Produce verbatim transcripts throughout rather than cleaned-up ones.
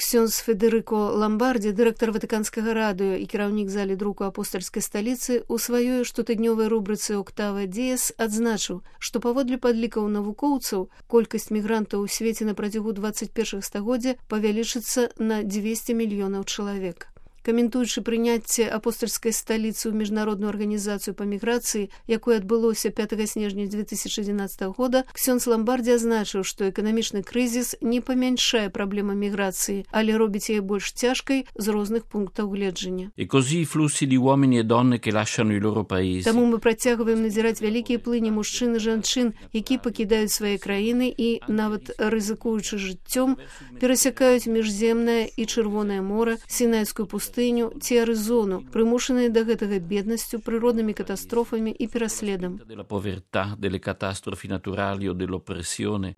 Ксёндз Федерыко Ламбарді, дырэктар Ватыканскага радыё і кіраўнік залі друку апостальскай сталіцы, у сваёй штотыднёвай рубрыцы «Октава Диес» адзначыў, што паводле падлікаў навукоўцаў колькасць мігрантаў у свеце на працягу дваццаць першага стагоддзя павялічыцца на дзвесце мільёнаў чалавек. Каментуючы прыняцце апостальскай сталіцы ў міжнародную арганізацыю па міграцыі, якое адбылося пятага снежня дзве тысячы адзінаццатага года, Ксёндз Ламбарді азначыў, што эканамічны крызіс не памяншае праблему міграцыі, але робіць яе больш цяжкай з розных пунктаў гледжання. Таму мы працягваем назіраць вялікія плыні мужчын і жанчын, які пакідаюць свае краіны і, нават рызыкуючы жыццём, перасякаюць міжземнае і Чырвонае мора, Сінайскую пустыню ці Арызону, прымушаныя да гэтага беднасцю, прыроднымі катастрофамі і пераследам.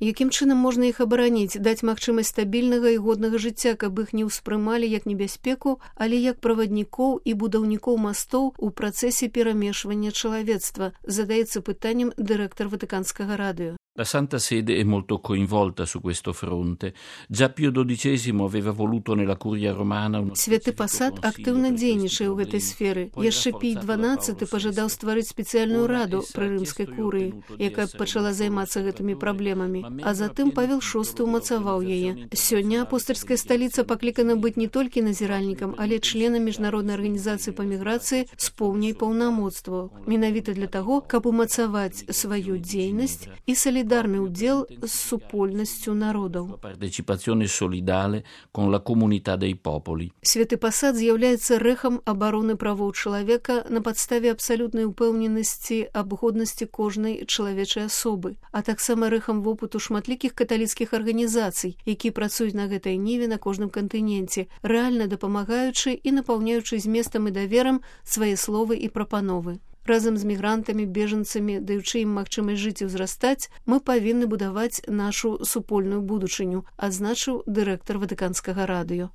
Якім чынам можна іх абараніць, даць магчымасць стабільнага і годнага жыцця, каб іх не ўспрымалі як небяспеку, але як праваднікоў і будаўнікоў мастоў у працэсе перамешвання чалавецтва, задаецца пытаннем дырэктар Ватыканскага радыё. La Santa Sede è molto coinvolta su questo fronte. Già Pio dodicesimo aveva voluto nella Curia Romana uno Святы пасад актыўна дзейнічае ў гэтай сферы. Яшчэ Пій дванаццаты пажадаў стварыць спецыяльную раду пры рымскай курыі, якая пачала займацца гэтымі праблемамі, а затым Павел шосты ўмацаваў яе. Сёння апостальская сталіца паклікана быць не толькі назіральнікам, але членам міжнароднай арганізацыі па міграцыі з поўняй паўнамоцтваў. Менавіта для таго, каб умацаваць сваю дзейнасць і салідарнасць солідарны ўдзел з супольнасцю народаў. Святы пасад з'яўляецца рэхам абароны правоў чалавека на падставе абсалютнай упэўненасці аб годнасці кожнай чалавечай асобы, а таксама рэхам вопыту шматлікіх каталіцкіх арганізацый, які працуюць на гэтай ніве на кожным кантыненце, рэальна дапамагаючы і напаўняючы зместам і даверам свае словы і прапановы. Разам з мігрантамі, бежанцамі, даючы ім магчымасць жыць і ўзрастаць, мы павінны будаваць нашу супольную будучыню, адзначыў дырэктар Ватыканскага радыё.